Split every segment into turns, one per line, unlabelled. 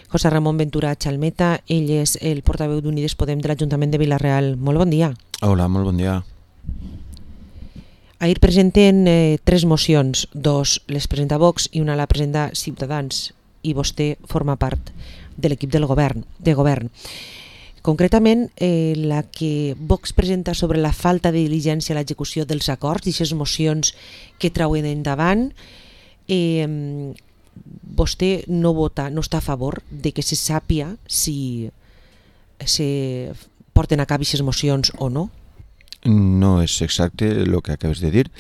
José Ramon Ventura Chalmeta, ell és el portaveu d'Unides Podem de l'Ajuntament de Vila-real. Molt bon dia.
Hola, molt bon dia.
Ahir presenten 3 mocions, 2 les presenta Vox i una la presenta Ciutadans, i vostè forma part de l'equip de govern. Concretament, la que Vox presenta sobre la falta de diligència a l'execució dels acords i aquestes mocions que trauen endavant, vostè no vota, no està a favor de que se sàpia si se porten a cap aquestes mocions o no?
No és exacte el que acabes de dir.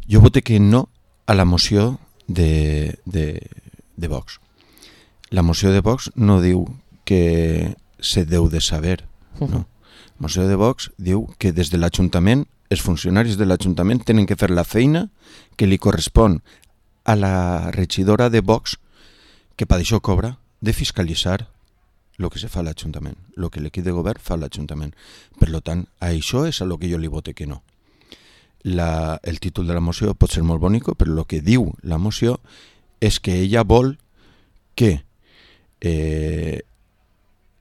Jo voté que no a la moció de Vox. La moció de Vox no diu que se deu de saber. No. La moció de Vox diu que des de l'Ajuntament, els funcionaris de l'Ajuntament tenen que fer la feina que li correspon a la regidora de Vox, que per això cobra, de fiscalitzar el que se fa a l'Ajuntament, el que l'equip de govern fa a l'Ajuntament. Per tant, a això és a lo que jo li vote que no. El títol de la moció pot ser molt bonic, però el que diu la moció és que ella vol que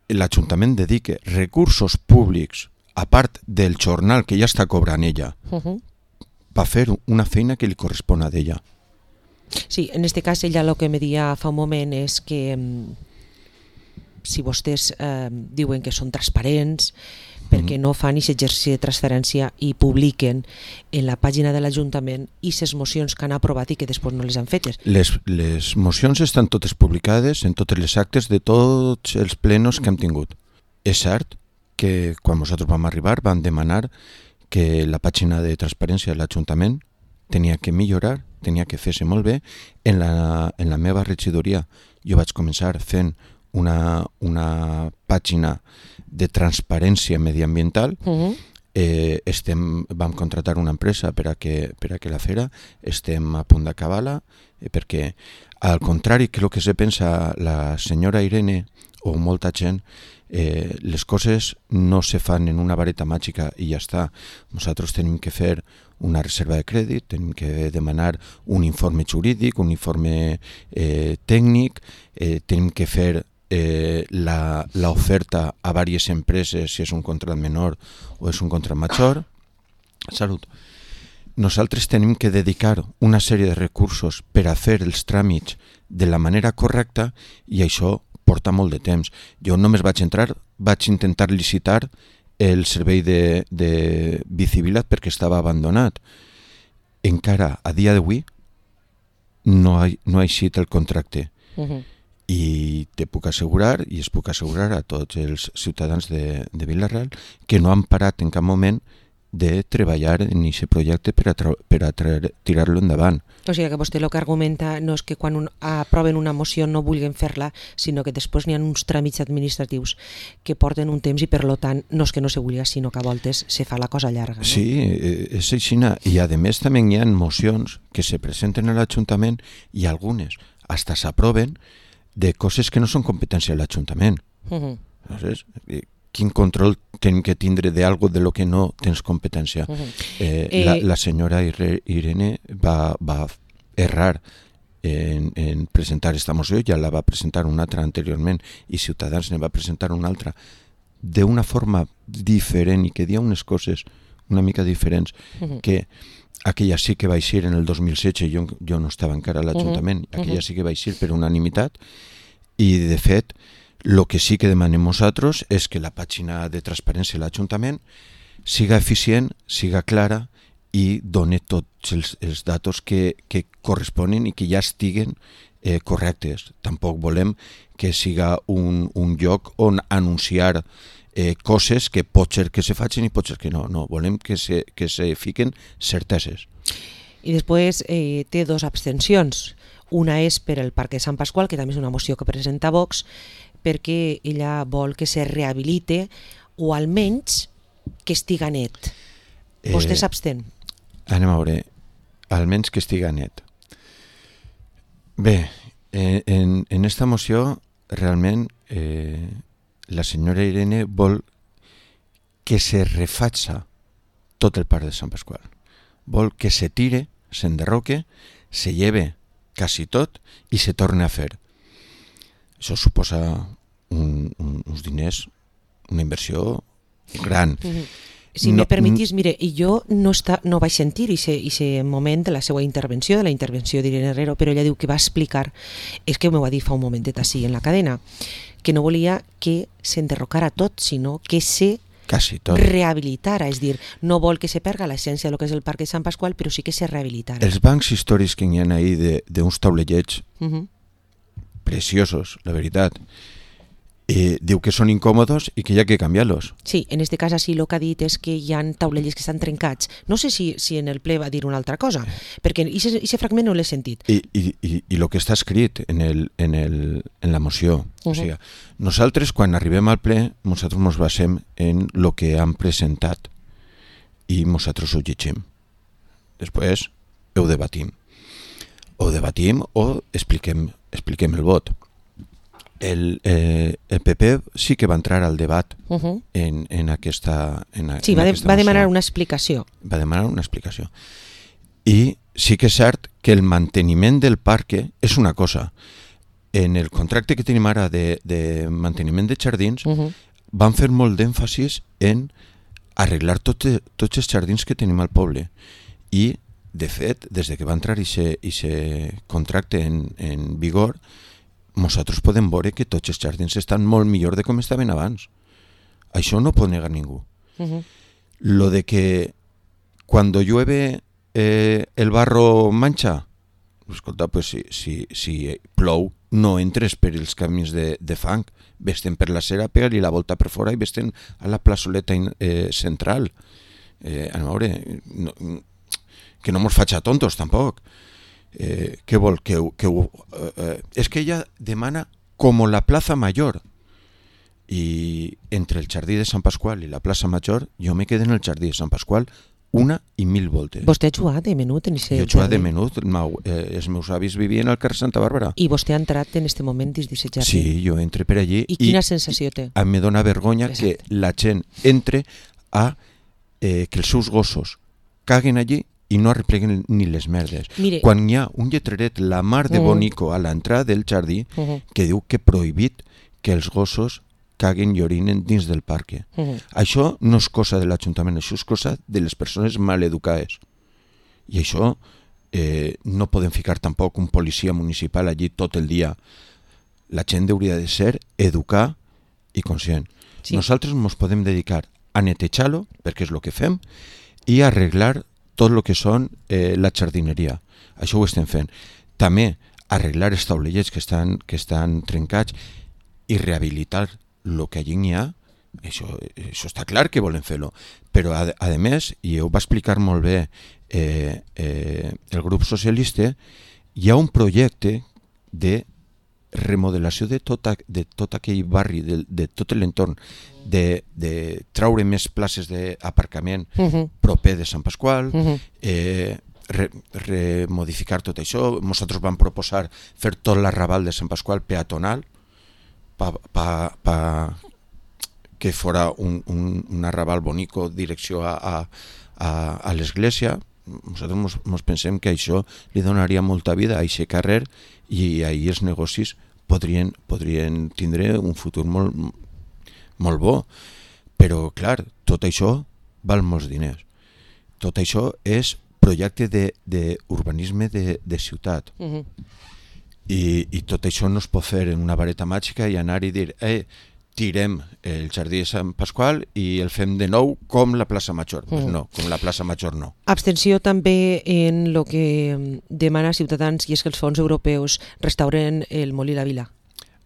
l'Ajuntament dedique recursos públics, a part del jornal que ja està cobrant ella, per fer una feina que li correspon a ella.
Sí, en este cas ella el que me deia fa un moment és que si vostès diuen que són transparents perquè no fan aquest exercici de transferència i publiquen en la pàgina de l'Ajuntament aquestes mocions que han aprovat i que després no les han fetes.
Les mocions estan totes publicades en totes les actes de tots els plenos que hem tingut. És cert que quan nosaltres vam arribar vam demanar que la pàgina de transparència de l'Ajuntament tenia que millorar, tenia que fer-se molt bé. En la meva regidoria jo vaig començar fent una pàgina de transparència mediambiental. Vam contratar una empresa per a que la fera. Estem a punt d'acabar-la perquè, al contrari que el que se pensa la senyora Irene o molta gent, les coses no se fan en una vareta màgica i ja està. Nosaltres tenim que fer una reserva de crèdit, tenim que demanar un informe jurídic, un informe tècnic, tenim que fer l'oferta a diverses empreses si és un contrat menor o és un contrat major. Salut. Nosaltres tenim que dedicar una sèrie de recursos per a fer els tràmits de la manera correcta i això porta molt de temps. Jo només vaig intentar licitar el servei de Bicivilat perquè estava abandonat. Encara a dia d'avui no ha eixit el contracte. I te puc assegurar, i es puc assegurar a tots els ciutadans de Vila-real, que no han parat en cap moment de treballar en aquest projecte per a tirar-lo endavant.
O sigui que vostè el que argumenta no és que quan aproven una moció no vulguin fer-la, sinó que després n'hi ha uns tràmits administratius que porten un temps i per tant no és que no se vulgui, sinó que a voltes se fa la cosa llarga. No?
Sí, és així. I a més també hi ha mocions que se presenten a l'Ajuntament i algunes hasta s'aproven de coses que no són competència de l'Ajuntament. Quin control tenim que tindre d'algo de lo que no tens competència? La senyora Irene va errar en presentar aquesta moció, ja la va presentar una altra anteriorment i Ciutadans ne va presentar una altra d'una forma diferent i que dia unes coses una mica diferents, que aquella sí que va eixir en el 2016, jo no estava encara a l'Ajuntament, aquella sí que va eixir per unanimitat i de fet el que sí que demanem nosaltres és que la pàgina de transparència de l'Ajuntament siga eficient, siga clara i doni tots els datos que corresponen i que ja estiguen correctes. Tampoc volem que siga un lloc on anunciar coses que pot ser que se facin i pot ser que no. No, volem que se fiquen certeses.
I després té 2 abstencions. Una és per el Parc de Sant Pasqual, que també és una moció que presenta Vox, perquè ella vol que se rehabilite o almenys que estiga net. Vostè s'abstén?
Anem a veure, almenys que estiga net. Bé, en esta moció realment la senyora Irene vol que se refaça tot el Parc de Sant Pasqual. Vol que se tire, s'enderroque, se lleve quasi tot i se torna a fer. això suposa uns diners, una inversió gran.
Si me permetís, mire, jo no vaig sentir aquest moment de la seva intervenció, de la intervenció d'Irene Herrero, però ella diu que va explicar, és que m'ho va dir fa un momentet així en la cadena, que no volia que s'enderrocara tot, sinó que se rehabilitara, és dir, no vol que se perga l'essència del que és el Parc de Sant Pasqual, però sí que se rehabilitara.
Els bancs històrics que hi ha ahí d'uns taulellets preciosos, la veritat, diu que són incòmodos i que hi ha que canviar-los.
Sí, en este cas així el que ha dit és que hi ha taulellers que estan trencats. No sé si en el ple va dir una altra cosa, perquè aquest fragment no l'he sentit.
I el que està escrit en la moció. O sigui, nosaltres, quan arribem al ple, nosaltres ens basem en el que han presentat i nosaltres ho llegim. Després ho debatim. O debatim o expliquem el vot. El PP sí que va entrar al debat en aquesta
sí, va demanar una explicació.
Va demanar una explicació. I sí que és cert que el manteniment del parc és una cosa. En el contracte que tenim ara de manteniment de jardins van fer molt d'èmfasis en arreglar tots els jardins que tenim al poble. I, de fet, des que va entrar aquest contracte en vigor, nosaltres podem veure que tots els jardins estan molt millor de com estaven abans. Això no pot negar ningú. Lo de que cuando llueve el barro mancha, escolta, pues si plou, no entres per els camins de fang, vés-te'n per la cera, pega-li la volta per fora i vés-te'n a la plaçoleta central. A veure, que no mos faig a tontos tampoc. Què vol? És que ella demana com la plaça Major, i entre el jardí de Sant Pasqual i la plaça Major jo me quedo en el jardí de Sant Pasqual 1.000 voltes.
Vostè ha jugat de menut en aquest jardí?
Jo he jugat de menut, els meus avis vivien al carrer Santa Bàrbara.
I vostè ha entrat en aquest moment dins d'aquest jardí?
Sí, jo entro per allí.
I quina sensació té?
Em dóna vergonya que la gent entre a que els seus gossos caguen allí i no arrepleguen ni les merdes. Mire, quan hi ha un lletreret, la mar de bonico, a l'entrada del jardí, que diu que prohibit que els gossos caguen i orinen dins del parc. Això no és cosa de l'Ajuntament, això és cosa de les persones maleducades. I això no podem ficar tampoc un policia municipal allí tot el dia. La gent hauria de ser educar i conscient. Sí. Nosaltres ens podem dedicar a netejar-lo, perquè és el que fem, i a arreglar tot el que són la jardineria. Això ho estem fent. També arreglar els taulellets que estan trencats i rehabilitar el que allí hi ha. Això està clar que volem fer-lo. Però, a més, i ho va explicar molt bé el grup socialista, hi ha un projecte de remodelació de tot aquell barri, de tot l'entorn, de traure més places d'aparcament proper de Sant Pasqual, remodificar tot això. Nosaltres vam proposar fer tot l'arrabal de Sant Pasqual peatonal que fora un arrabal bonico direcció a l'església. Nosaltres ens pensem que això li donaria molta vida a aquest carrer i ahir els negocis podrien tindre un futur molt bo. Però, clar, tot això val molts diners. Tot això és projecte d'urbanisme de ciutat. I tot això no es pot fer en una vareta màgica i anar i dir tirem el jardí de Sant Pasqual i el fem de nou com la plaça Major. Pues no, com la plaça Major no.
Abstenció també en el que demana Ciutadans, i és que els fons europeus restauren el Molí La Vila.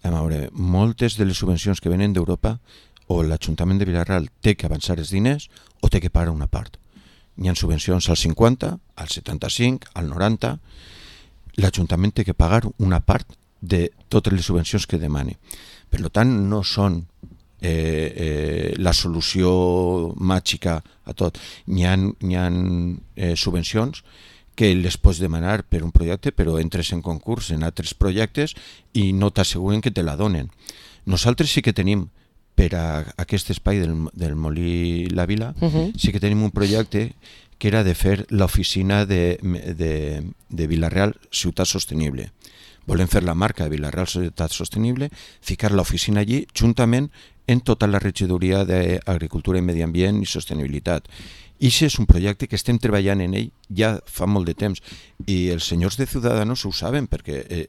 A veure, moltes de les subvencions que venen d'Europa, o l'Ajuntament de Vilarral té que avançar els diners o té que pagar una part. Hi ha subvencions al 50, al 75, al 90. L'Ajuntament té que pagar una part de totes les subvencions que demani. Per tant, no són la solució màgica a tot. Hi ha subvencions que les pots demanar per un projecte, però entres en concurs en altres projectes i no t'asseguren que te la donen. Nosaltres sí que tenim, per a aquest espai del Molí La Vila, sí que tenim un projecte que era de fer l'oficina de Vila-real Ciutat Sostenible. volem fer la marca de Vila-real Societat Sostenible, ficar l'oficina allí juntament en tota la regidoria d'Agricultura i Medi Ambient i Sostenibilitat. I això és un projecte que estem treballant en ell ja fa molt de temps i els senyors de Ciudadanos ho saben perquè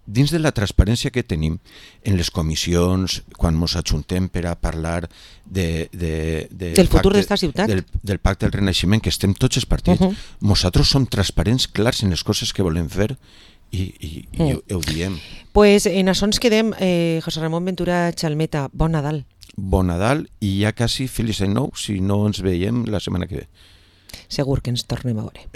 dins de la transparència que tenim en les comissions, quan ens ajuntem per a parlar
del futur d'esta ciutat,
del pacte del Renaixement, que estem tots els partits, nosaltres som transparents, clars en les coses que volem fer i ho diem.
Pues en això ens quedem. José Ramon Ventura Chalmeta, bon Nadal.
Bon Nadal i ja quasi feliç any nou si no ens veiem la setmana que ve.
Segur que ens tornem a veure.